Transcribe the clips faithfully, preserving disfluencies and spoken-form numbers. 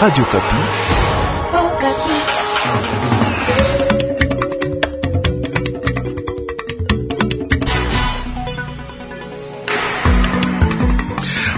Radio Okapi.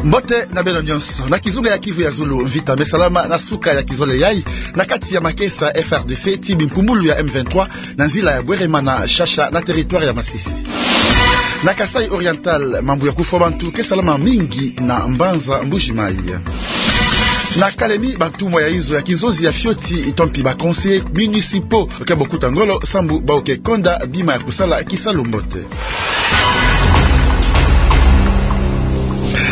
Mbote na beno nyonso. Na kizunga ya Kivu ya Zulu, mvita me salama na suka ya kizole yai, na kati ya makesa ya F R D C ti bimpumbulu ya M vingt-trois, na nzila ya Bweremana, Shasha, na territoire ya Masisi. Na Kasaï Oriental, mambu ya kufwa bantu ke salama mingi na mbanza Mbuji-Mayi. Na Kalemie, bantumwa ya inzo ya kinzonzi ya fioti, to mpi ba conseillers municipaux, ke bokuta ngolo, sambu bawu ke konda bima ya kusala kisalu mbote.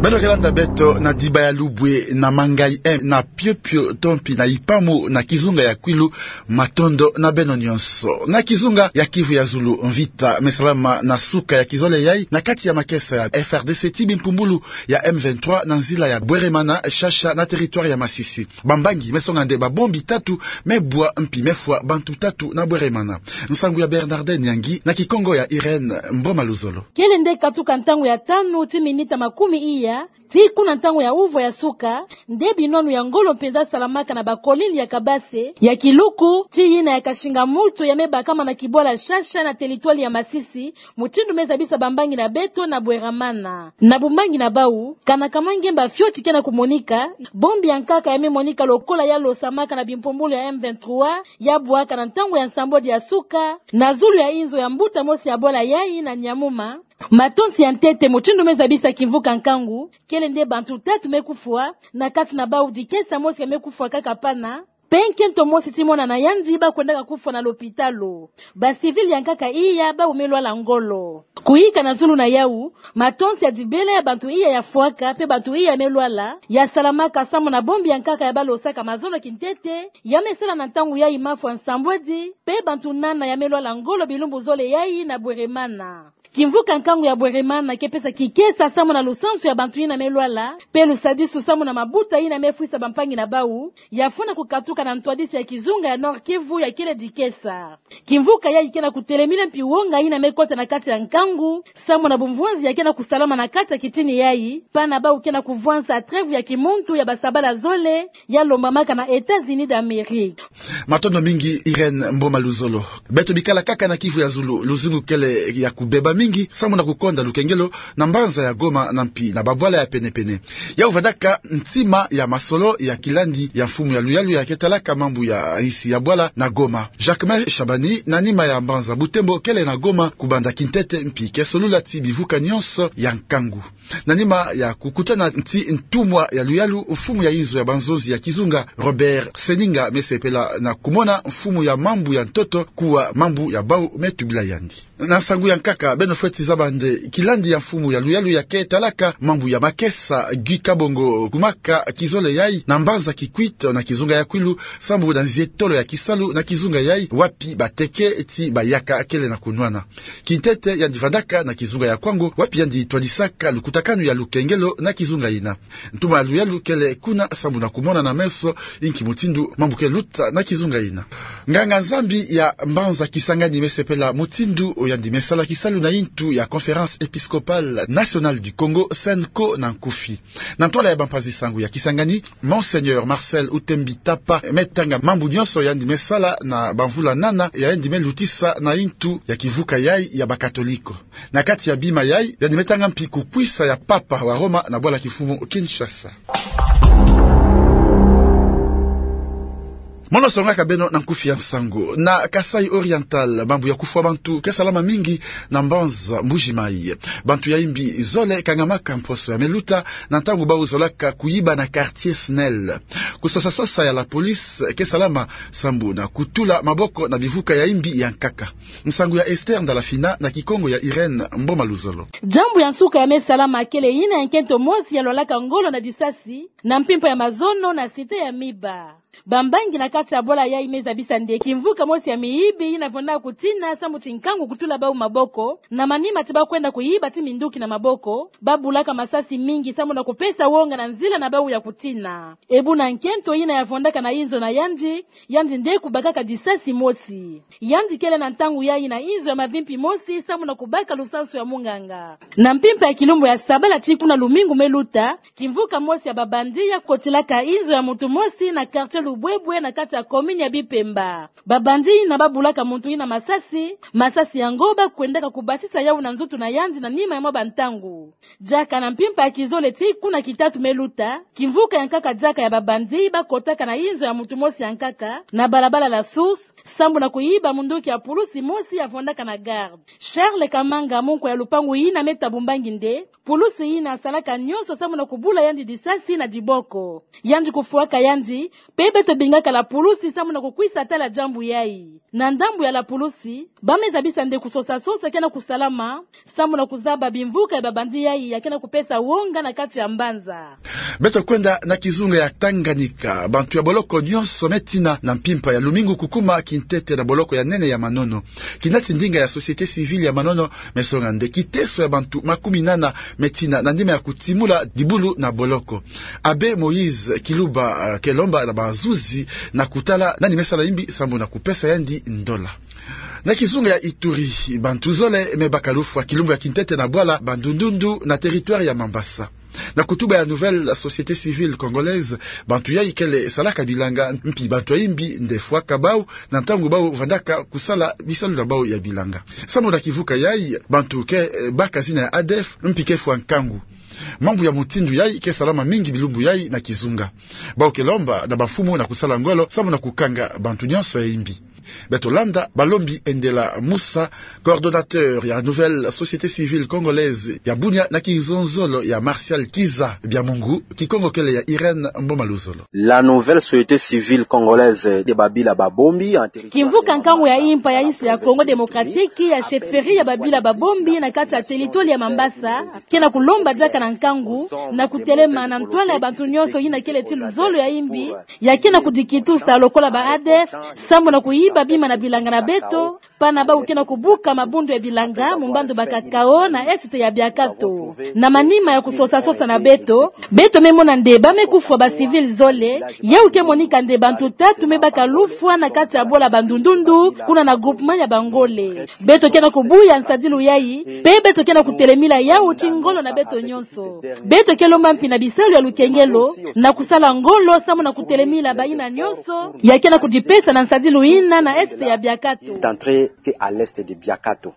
Beno ke landa beto na Diba ya Lubwe, na Mangayi M, na Piopio, to mpi na Ipamu, na kizunga ya Kwilu, matondo na beno nyonso. Na kizunga ya Kivu ya Zulu, mvita me salama na suka ya kizole yai, na kati ya makesa ya F R D C ti bimpumbulu ya M vingt-trois, na nzila ya Bweremana, Shasha, na territoire ya Masisi. Bambangi me songa nde babombi tatu me bwa mpi me fwa bantu tatu na Bweremana. Nsangu ya Bernardin Nyangi, na Kikongo ya Irène Mboma Luzolo. Kele nde katuka ntangu ya tanu ti minita makumi iya, tii kuna ntangu ya uvwa ya suka, nde binwanu ya ngolo mpenza salamaka na bakolili ya Kabase, ya Kiluku, tii yina ya Kashinga-Mutu ya me bakama na kibwala Shasha na territoire ya Masisi, mutindu me zabisa bambangi na beto na Bweremana. Na bumbangi na bawu, kana kamwa ngemba fioti ke na kumonika, bombi ya nkaka ya me monika lokola ya losamaka na bimpumbulu ya M vingt-trois, ya bwaka na ntangu ya nsambwadi ya suka, na zulu ya inzo ya mbuta mosi ya bwala yai na Nyamuma. Matonsi ya ntete, mutindu me zabisa kimvuka nkangu, kele nde bantu tatu me kufwa, na kati na bawu dikesa mosi ya me kufwa kaka pana, mpe nkento mosi ti mwana na yandi ba kwendaka kufwa na lopitalo. Ba civils ya nkaka iya bawu me lwala ngolo. Kuyika na zulu na yawu, matonsi ya dibela ya bantu iya ya fwaka, mpe bantu iya me lwala, ya salamaka samu na bombi ya nkaka ya ba losaka mazono kintete, ya me sala na ntangu yai mafwa nsambwadi, mpe bantu nana ya me lwala ngolo bilumbu zole yai na Bweremana. Kimvuka nkangu ya Bweremana ke pesa kikesa samu na lusansu ya bantu yina me lwala, mpe lusadisu samu na mabuta yina me fwisa bampangi na bawu, ya fwana kukatuka na ntwadisi ya kizunga ya Nord-Kivu ya kele dikesa. Kimvuka yai ke na kutelemina mpi wonga yina me kota na kati ya nkangu, samu na bumvwanzi ya ke na kusalama na kati ya kitini yai, pana bawu ke na kuvwansa trêve ya kimuntu ya basabala zole, ya lombamaka na États-Unis d'Amérique. Matondo mingi, Irène Mboma Luzolo. Beto bikala kaka na Kivu ya Zulu, luzingu kele ya kubeba mingi, samu na kukonda lukengelo na mbanza ya Goma na mpi na babwala ya pene-pene. Yawu vandaka ntima ya masolo ya kilandi ya mfumu ya luyalu ya ke talaka mambu ya insi ya bwala na Goma, Jacquemain Shabani, na nima ya mbanza Butembo kele na Goma kubanda kintete mpi ke solula ti bivuka nyonso ya nkangu. Na nima ya kukutana nti ntumwa ya luyalu, mfumu ya inzo ya banzonzi ya kizunga, Robert Seninga, me sepela na kumona mfumu ya mambu ya ntoto kuwa mambu ya bawu me tubila yandi. Na nsangu ya nkaka, beno fweti zaba nde kilandi ya mfumu ya luyalu ya ke talaka mambu ya makesa, Guy Kabongo, kumaka kizole yai na mbanza Kikwit na kizunga ya Kwilu, sambu na nzietolo ya kisalu na kizunga yai, wapi bateke ti bayaka kele na kunwana. Kintete yandi vandaka na kizunga ya Kwango, wapi yandi twadisaka lukutakanu ya lukengelo na kizunga yina. Ntumwa ya luyalu kele kuna sambu na kumona na meso inki mutindu mambu ke luta na kizunga yina. Nganga-Nzambi ya mbanza Kisangani me sepela mutindu yandi me sala kisalu na intu ya Conférence Épiscopale Nationale du Congo, CENCO na nkufi. Na ntwala ya bampanzi-nsangu ya Kisangani, Monseigneur Marcel Utembi Tapa me tanga mambu nyonso yandi me sala na bamvula nana yandi me lutisa na intu ya kivuka yai ya Bakatoliko. Na kati ya bima yai, yandi me tanga mpi kukwisa ya Papa wa Roma na bwala kimfumu Kinshasa. Mono songaka beno na nkufi ya nsangu. Na Kasaï Oriental, mambu ya kufwa bantu ke salama mingi na mbanza Mbuji-Mayi. Bantu ya imbi zole kangamaka mposo ya me luta na ntangu bawu zolaka kuyiba na quartier SNEL. Kusosa-sosa ya la police ke salama sambu na kutula maboko na bivuka ya imbi ya nkaka. Nsangu ya Esther Ndalafina na Kikongo ya Irène Mboma Luzolo. Jambu ya nsuka ya me salama kele yina ya nkento mosi ya lwalaka ngolo na disasi na mpimpa ya mazono na cité ya Miba. Bambangi na kati ya bwala yayi me zabisa nde kimvuka mosi ya miyibi yina vwandaka kutina sambu ti nkangu kutula bau maboko, na manima ti ba kwenda kuyiba ti minduki na maboko, ba bulaka masasi mingi sambu na kupesa wonga na nzila na bau ya kutina. E buna nkento yina ya vwandaka na inzo na yandi, yandi nde kubakaka disasi mosi. Yandi kele na ntangu yayi na inzo ya mavimpi mosi sambu na kubaka lusansu ya munganga. Na mpimpa ya kilumbu ya sabala ti kuna lumingu me luta, kimvuka mosi ya ba bandit ya kotilaka inzo ya muntu mosi na quartier Lubwebwe na kati ya commune ya Bipemba. Ba bandit yina ba bulaka muntu yina masasi, masasi yango ba kwendaka kubasisa yau na nzutu na yandi na nima ya mwa bantangu. Diaka na mpimpa ya kizole ti kuna kitatu me luta, kimvuka ya nkaka diaka ya ba bandit ba kotaka na inzo ya muntu mosi ya nkaka, na balabala La Source, sambu na kuyiba munduki ya pulusi mosi ya vwandaka na garde. Charles Kamanga, munkwa ya lupangu yina me ta bumbangi nde, pulusi yina salaka nyonso sambu na kubula yandi disasi na diboko. Yandi kufwaka yandi, mpe beto bingaka la pulusi sambu na kukwisa tala diambu yayi. Na ndambu ya la pulusi, ba me zabisa nde kusosa-sosa ke na kusalama, sambu na kuzaba bimvuka ya ba bandit yayi ya ke na kupesa wonga na kati ya mbanza. Beto kwenda na kizunga ya Tanganyika, bantu ya boloko nyonso me tina na mpimpa ya lumingu kukuma kintete na boloko ya nene ya Manono. Kinati ndinga ya société civile ya Manono me songa nde kiteso ya bantu makumi nana me tina na nima ya kutimula dibulu na boloko. Abbé Moïse Kiluba, eh, ke lomba na bazuzi na kutala nani me sala imbi sambu na kupesa yandi ndola. Na kizunga ya Ituri, bantu zole me baka lufwa kilumbu ya kintete na bwala Bandundundu na territoire ya Mambasa. Na kutuba ya Nouvelle Société Civile Congolaise, bantu yayi kele salaka bilanga, mpi bantu ya imbi nde fwaka bau na ntangu bau vandaka kusala bisalu na bau ya bilanga. Sambu na kivuka yayi, bantu ke, eh, baka zina ya A D F, mpi ke fwa nkangu. Mambu ya mutindu yayi ke salama mingi bilumbu yayi na kizunga. Bau ke lomba na bamfumu na kusala ngolo sambu na kukanga bantu nyonso ya imbi. Beto landa balombi Endela Musa, coordonnateur ya Nouvelle Société Civile Congolaise ya Bunia, na kizonzolo ya Martial Kiza Biamungu, Kikongo kele ya Irène Mboma Luzolo. La Nouvelle Société Civile Congolaise de Babila Babombi, en territoire kimvuka nkangu ya impa ya insi ya Congo Démocratique ya chefferie ya Babila Babombi na kati ya territoire ya Mambasa, ke na kulomba diaka na nkangu na kutelema na ntwala ya bantu nyonso yina kele ti luzolo ya imbi, ya ke na kudikitusa lokola ba A D F, sambu na kuyiba bima na bilanga na beto, pana bau ke na kubuka mabundu ya bilanga mu mbandu ba Cacao na est ya Biakato. Na manima ya kusosa-sosa na beto, beto me mona nde ba me kufwa ba civil zole, yau ke monika nde bantu tatu me baka lufwa na kati ya bwala Bandundundu, kuna na groupement ya Bangole. Beto ke na kubuya nsadilu yayi, mpe beto ke na kutelemila yau ti ngolo na beto nyonso. Beto ke lomba mpi na bisalu ya lukengelo na kusala ngolo sambu na kutelemila bayina nyonso ya ke na kudipesa na nsadilu yina na est ya Biakato. D'entrer que à l'est de Biakato.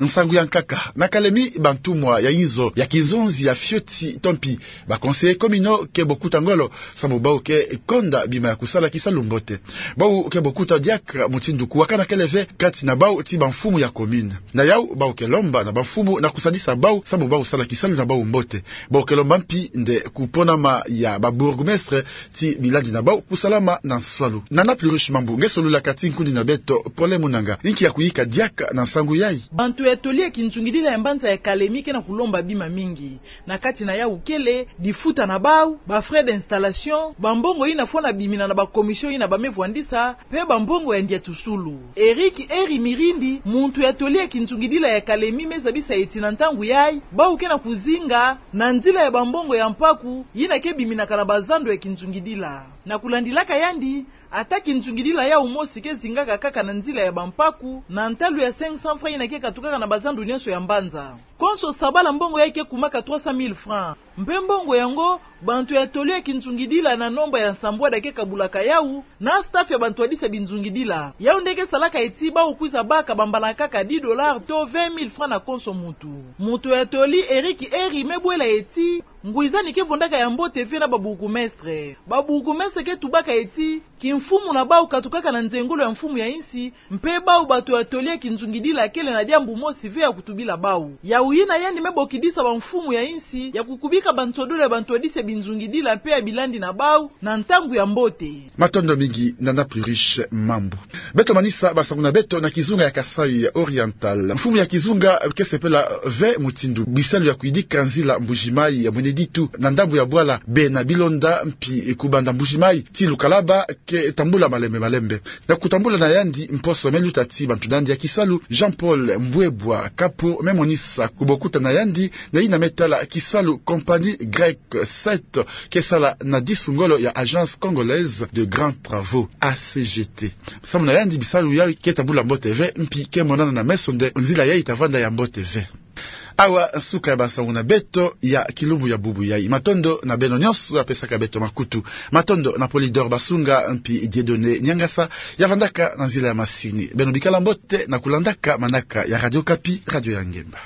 Nsangu ya nkaka. Na Kalemi, bantumwa ya inzo ya kizonzi ya fioti to mpi ba conseillers communaux ke bokuta ngolo sambu bau ke konda bima ya kusala kisalu mbote. Bau ke bokuta diaka mutindu kuwakana kele ve kati na bau ti bamfumu ya commune. Na yau, bau ke lomba na bamfumu na kusadisa bau sambu bau sala kisalu na bau mbote. Bau ke lomba mpi nde kuponama ya ba bourgmestres ti bilandi na bau kusalama na nswalu. Nana Pluriche Mambu nge solulaka ti nkundi na beto Pole Munanga. Inki ya kuyika diaka na nsangu yayi? Bantu ya toli ya kinzungidila ya mbanza ya Kalemi ke na kulomba bima mingi. Na kati na yau kele difuta na bau, ba frais d'installation, bambongo yina fwana bimina na ba commission yina ba me vwandisa, mpe bambongo ya ndiatusulu. Eric Eri Mirindi, muntu ya toli ya kinzungidila ya Kalemi, me zabisa ti na ntangu yayi, bau ke na kuzinga na nzila ya bambongo ya mpaku yina ke biminaka na bazando ya kinzungidila. Na kulandilaka yandi, ata kinzungidila yau mosi ke zingaka kaka na nzila ya bampaku, na ntalu ya cinq cents francs yina ke katukaka na bazando nyonso ya mbanza. Konso sabala mbongo yayi ke kumaka trois cent mille francs. Mpe mbongo yango, bantu ya toli ya kinzungidila na nomba ya nsambwada ke kabulaka yau, na staff ya bantu ya disa binzungidila. Yau nde ke salaka ti bau kwiza baka bambana kaka dix dollars to vingt mille francs na konso muntu. Muntu ya toli Eric Eri me bwela ti, ngwizani ke vondaka ya mbote ve na ba bourgmestres. Ba bourgmestres ke tubaka ti, kimfumu na bau katukaka na nzengolo ya mfumu ya insi, mpe bau bantu ya toli ya kinzungidila kele na diambu mosi ve ya kutubila bau. Yau Yina yandi me bokidisa bamfumu ya insi ya kukubika bansodolo ya bantwadisi ya binzungidila mpe ya bilandi na bau na ntangu ya mbote. Matondo mingi, Nana Pluriche Mambu. Beto manisa basangu na beto na kizunga ya Kasaï Oriental. Mfumu ya kizunga ke sepela ve mutindu bisalu ya kuyidika nzila Mbuji-Mayi ya mwene ditu na ndambu ya bwala bena bilonda mpi kubanda Mbuji-Mayi tii Lukalaba ke tambula malembe malembe. Na kutambula na yandi mposo me luta ti bantu na yandi ya kisalu, Jean-Paul Mbwebwa Kapo me monisa kubokuta na yandi na yina me tala kisalu compagnie Grec sept ke sala na disu ngolo ya Agence Congolaise de Grands Travaux, A C G T. Samu na yandi bisalu yayi ke tambula mbote ve mpi ke monana na meso nde nzila yayi ta vanda ya mbote ve. Awa suka ya basangu na beto ya kilumbu ya bubu yayi. Matondo na beno nyonso ya pesaka beto makutu. Matondo na Polydor Basunga mpi Dieudonné Niangasa ya vandaka na nzila ya masini. Beno bikala mbote na kulandaka manaka ya Radio Okapi, radio ya ngemba.